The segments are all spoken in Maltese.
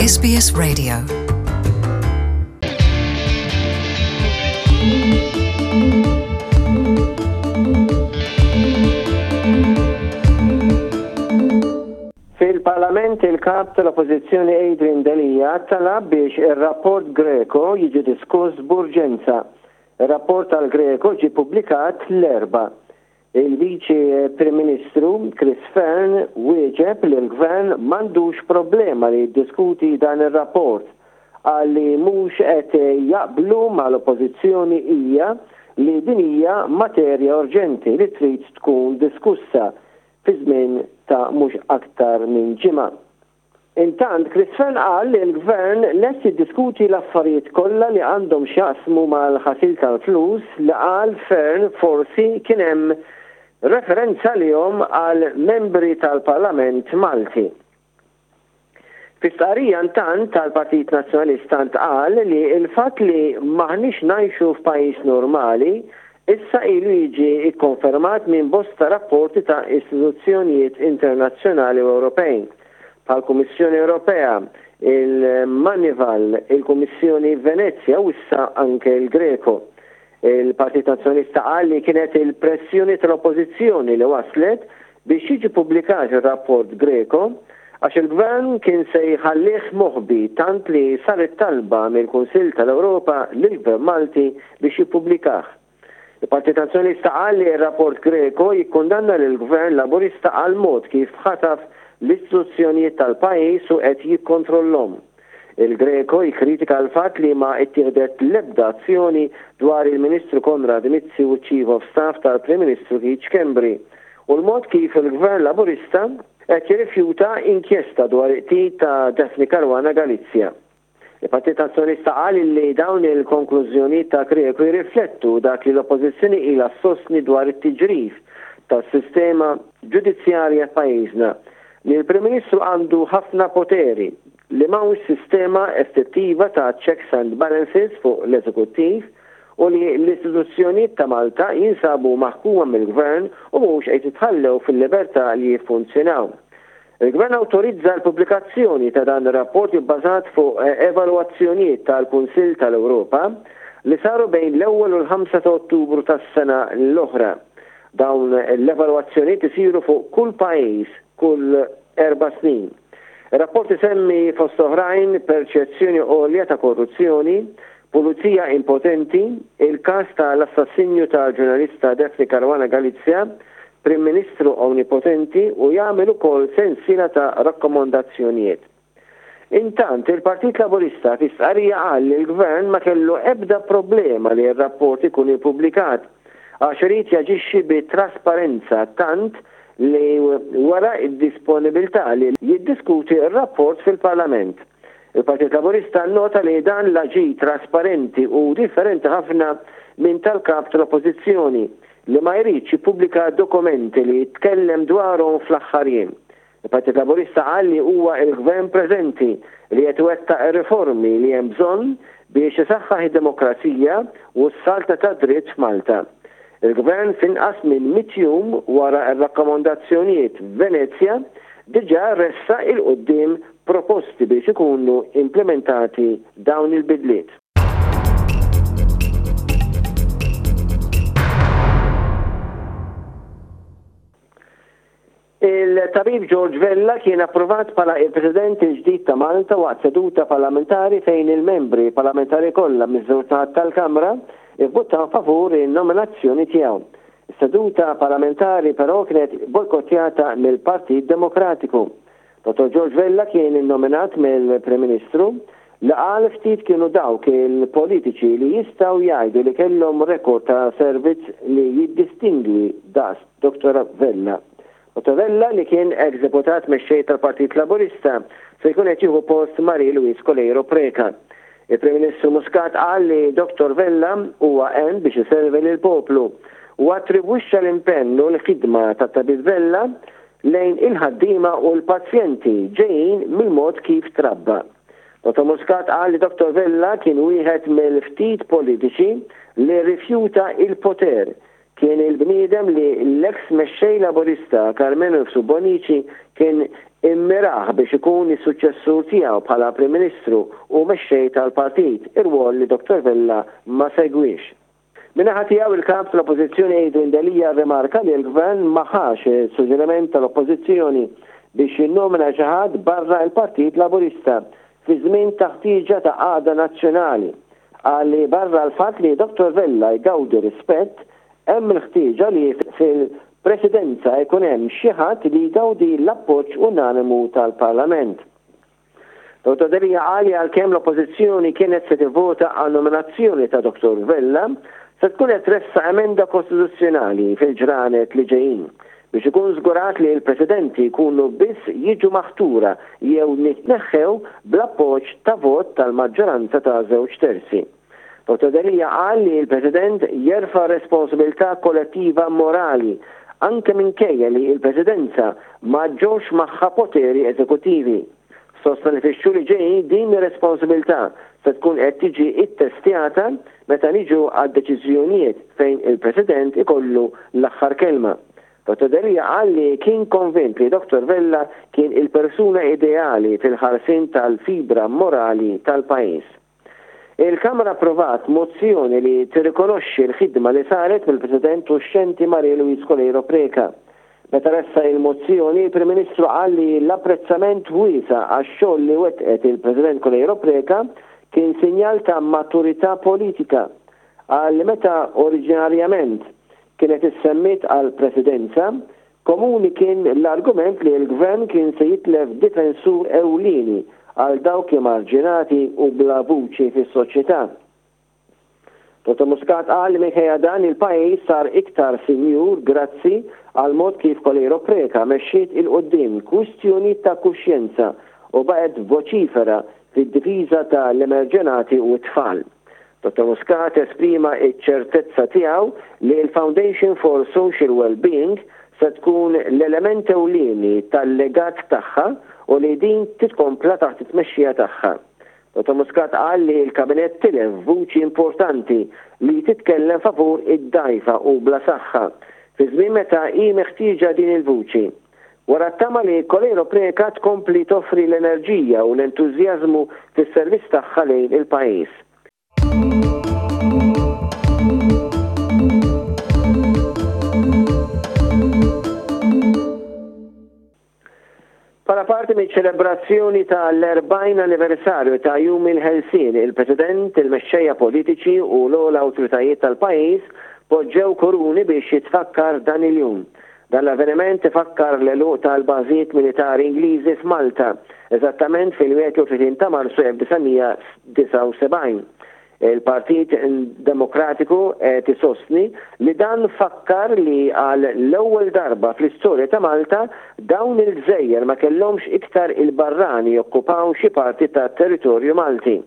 SBS Radio. Fil-Parlament il-Kap tal-Oppożizzjoni Adrian Delia talab biex ir-rapport Greco jiġi diskuss b'urġenza. Ir-rapport tal-Greco ġie ppubblikat l-Erbgħa. Il-Viċi Prim Ministru Chris Fearne wieġeb li l-Gvern m'għandux problema li jiddiskuti dan ir-rapport. Qal li mhux qed jaqblu mal-Oppożizzjoni hija li din hija materja urġenti li trid tkun diskussa fi żmien ta' mhux aktar minn ġimgħa. Intant, Chris Fearne qal li l-Gvern lest jiddiskuti l-affarijiet kollha li għandhom x'jaqsmu mal-ħasil tal-flus li qal Fearne forsi kien hemm referenza għalihom għal membri tal-Parlament Malti. Fi stqarrija intant tal-Partit Nazzjonalista ntqal li l-fatt li m'aħniex ngħixu f'pajjiż normali issa ilu jiġi kkonfermat minn bosta rapporti ta' istituzzjonijiet internazzjonali u Ewropej, bħall-Kummissjoni Ewropea, il-Moneyval, il-Kummissjoni Venezja u issa anke l-Greco. Il-Partit Nazzjonalista qal li kienet il-pressjoni tal-Oppożizzjoni li wasslet biex jiġi ppubblikat ir-rapport Greco għax il-Gvern kien se jħallih moħbi tant li saret talba mill-Kunsill tal-Ewropa lill-Gvern Malti biex jippubblikah. Il-Partit Nazzjonalista qal li r-rapport Greco jikkundanna lill-Gvern Laburista għall-mod kif ħataf l-istituzzjonijiet tal-pajjiż u qed jikkontrollhom. Il-Greco jikkritika l-fatt li ma ttieħdet l-ebda azzjoni dwar il-Ministru Konrad Mizzi u ċ-Chief of Staff tal-Prim Ministru Keith Schembri u l-mod kif il-Gvern Laburista qed jirrifjuta inkjesta dwar il-qtil ta' Daphne Caruana Galizia. Il-Partit Nazzjonalista qal li dawn il-konklużjonijiet ta' Greco jirriflettu dak li l-Oppożizzjoni ilha ssostni dwar it-tiġrif tas-sistema ġudizzjarja f'pajjiżna, li l-Prim Ministru għandu ħafna poteri, li m'hawnx sistema effettiva ta' checks and balances fuq l-Eżekuttiv u li l-istituzzjonijiet ta' Malta jinsabu maħkuma mill-Gvern u mhux qed jitħallew fil-libertà li jiffunzjonaw. Il-Gvern awtorizza l-pubblikazzjoni ta' dan ir-rapport ibbażat fuq evalwazzjonijiet tal-Kunsill tal-Ewropa li saru bejn l-ewwel u l-ħamsa ta' Ottubru tas-sena l-oħra. Dawn l-evalwazzjonijiet isiru fuq kull pajjiż kull erba' snin. Ir-rapport isemmi fost oħrajn perċezzjoni għolja ta' korruzzjoni, pulizija impotenti, il-każ ta' l-assassinju tal-ġurnalista Daphne Caruana Galizia, Prim Ministru omnipotenti u jagħmel ukoll sensiela ta' rakkomandazzjonijiet. Intant, il-Partit Laburista fi stqarrija qal li l-Gvern ma kellu ebda problema li r-rapport ikun ippubblikat għax irid jaġixxi bi trasparenza tant li wera d-disponibilità li jiddiskuti r-rapport fil-Parlament. Il-Partit Laburista nnota li dan l-aġir trasparenti hu differenti ħafna minn tal-Kap tal-Oppożizzjoni li ma jridx jippubblika dokumenti li tkellem dwarhom fl-aħħar jiem. Il-Partit Laburista qal li huwa l-Gvern preżenti li qed iwettaq ir-riformi li hemm bżonn biex isaħħaħ id-demokrazija u s-saltna tad-dritt f'Malta. Il-Gvern f'inqas minn mitt jum wara r-rakkomandazzjonijiet f'Venezja diġà ressaq 'il quddiem proposti biex ikunu implimentati dawn il-bidliet. Il-Tabib George Vella kien approvat bħala il-President il-ġdid ta' Malta waqt seduta parlamentari fejn il-membri parlamentari kollha miż-żewġ naħat tal-Kamra ivvutaw favur in-nominazzjoni tiegħu. Is-seduta parlamentari però kienet bojkottjata mill-Partit Demokratiku. Dottor George Vella kien innominat mill-Prim Ministru li qal ftit kienu dawk il-politiċi li jistgħu jgħidu li kellhom rekord ta' servizz li jiddistingwi daqs Dottor Vella. Dottor Vella li kien eks deputat mexxej tal-Partit Laburista se jkun qed jieħu post Marie Louise Coleiro Preca. Il-Prim Ministru Muscat qal li Dottor Vella huwa hemm biex iservi lill-poplu u attribwixxa l-impenn u l-ħidma tat-Tabib Vella lejn il-ħaddiema u l-pazjenti ġejjin mill-mod kif trabba. Dottor Muscat qal li Dottor Vella kien wieħed mill-ftit politiċi li rrifjuta il-poter. Kien il-bniedem li l-eks mexxej Laburista Karmenu Mifsud Bonnici kien immirah biex ikun is-suċċessur tiegħu bħala Prim Ministru u mexxej tal-partit, irwol li Dottor Vella ma segwiex. Min-naħa tiegħu il-Kap tal-Oppożizzjoni Adrian Delia rrimarka li l-Gvern ma ħax is-suġġeriment tal-Oppożizzjoni biex jinnomina xi ħadd barra l-Partit Laburista fi żmien ta' ħtieġa ta' għaqda nazzjonali. Qal li barra l-fatt li Dottor Vella jgawdi rispett, hemm il-ħtieġa li fil-Presidenza jkun hemm xi ħadd li jgawdi l-appoġġ unanimu tal-Parlament. Dottor Delia qal li għalkemm l-Oppożizzjoni kienet se tivvota għan-nominazzjoni ta' Dottor Vella, se tkun qed tressaq emenda kostituzzjonali fil-ġranet li ġejjin biex ikun żgurat li l-Presidenti jkunu biss jiġu maħtura jew jitneħħew bl-appoġġ ta' vot tal-maġġoranza ta' żewġ terzi. Dottor Delia qal li l-President jerfa' responsabilità kollettiva morali anke minkejja li l-Presidenza ma ġġorrx magħha poteri eżekuttivi. Sostna li fix-xhur li ġejjin din ir-responsabilità se tkun qed tiġi ttestjata meta niġu għad-deċiżjonijiet fejn il-President ikollu l-aħħar kelma. Dottor Delia qal li kien konvint li Dottor Vella kien il-persuna ideali fil-ħarsien tal-fibra morali tal-pajjiż. Il-Kamra approvat mozzjoni li tirrikonoxxi l-ħidma li saret mill-President uxxenti Marie Louise Coleiro Preca. Meta ressaq il-mozzjoni, il-Prim Ministru qal li l-apprezzament wiesa' għax-xogħol li wettqet il-President Coleiro Preca kien sinjal ta' maturità politika. Qal li meta oriġinarjament kienet issemmiet għall-Presidenza, Komuni kien l-argument li l-Gvern kien se jitlef difensur ewlieni għal dawk emarġinati u bla vuċi fis-soċjetà. Dottor Muscat qal li minkejja dan il-pajjiż sar iktar sinjur grazzi għall-mod kif Coleiro Preca mexxiet 'il quddiem kwistjonijiet ta' kuxjenza u baqgħet voċifera fid-difiża ta' l-emerġenati u t-tfal. Dottor Muscat esprima ċ-ċertezza tiegħu li l-Foundation for Social Wellbeing se tkun l-element ewlieni tal-legat tagħha u li din titkompla taħt it-tmexxija tagħha. Dottor Muscat qal li l-Kabinett tilef vuċi importanti li titkellem favur id-dgħajfa u bla saħħa, fi żmien meta hi meħtieġa din il-vuċi. Wara t-tama li Coleiro Preca tkompli toffri l-enerġija u l-entużjażmu fis-servizz tagħha lejn il-pajjiż. Bħala parti miċ-ċelebrazzjoni ta' l-40 anniversarju ta' Jum il-Ħelsien, il-President, il-mexxejja politiċi u l-ogħla awtoritajiet tal-pajjiż poġġew kuruni biex jitfakkar dan il-jum. Dan l-avveniment ifakkar l-għeluq tal-bażijiet militari Ingliżi f'Malta, eżattament fil-31 ta' Marzu 1979. Il-Partit Demokratiku qed isostni li dan fakkar li għal l-ewwel darba fl-istorja ta' Malta dawn il-gżejjer ma kellhomx iktar il-barrani jokkupaw xi parti tat-territorju Malti.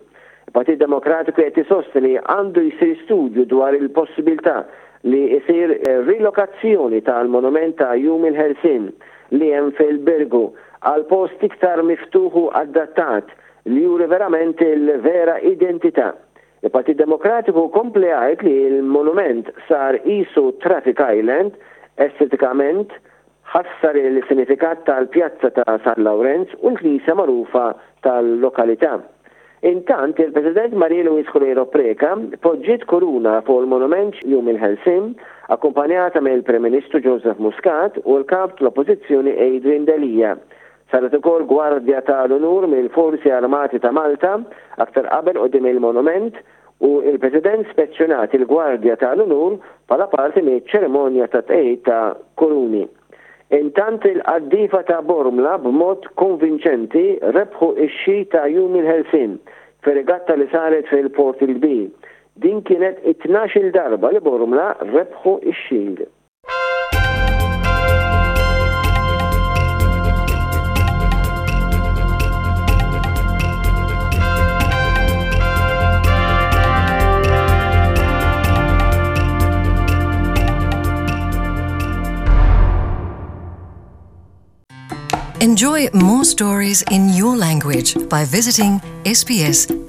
Il-Partit Demokratiku qed isostni li għandu jsir studju dwar il-possibilità li jsir rilokazzjoni tal-monument ta' Jum il-Ħelsien li hemm fil-Birgu għal post iktar miftuħ u adattat li juri verament il-vera identità. Il-Partit Demokratiku kompla jgħid li l-monument sar qisu traffic island estetikament Ħassar il-sinifikat tal-Pjazza ta' San Lawrenz u l-knisja magħrufa tal-lokalità. Intant, il-President Marie Louise Coleiro Preca poġġiet kuruna fuq il-monument Jum il-Ħelsien, akkumpanjata mill-Prim Ministru Joseph Muscat u l-Kap tal-Oppożizzjoni Adrian Delia. Saret ukoll gwardja tal-unur mill-Forzi Armati ta' Malta aktar qabel quddiem il-monument u l-President spezzjonat il-Gwardja ta' l-Unur bħala parti miċ-ċerimonja ta' tqegħid ta' kuruni. Intant il-qaddiefa ta' Bormla b'mod konvinċenti rebħu x-xi ta' Jum il-Ħelsien fir-regatta li saret fil-Port il-Kbir. Din kienet it-tnax-il darba li Bormla rebħu x-Shield. Enjoy more stories in your language by visiting sbs.com.au.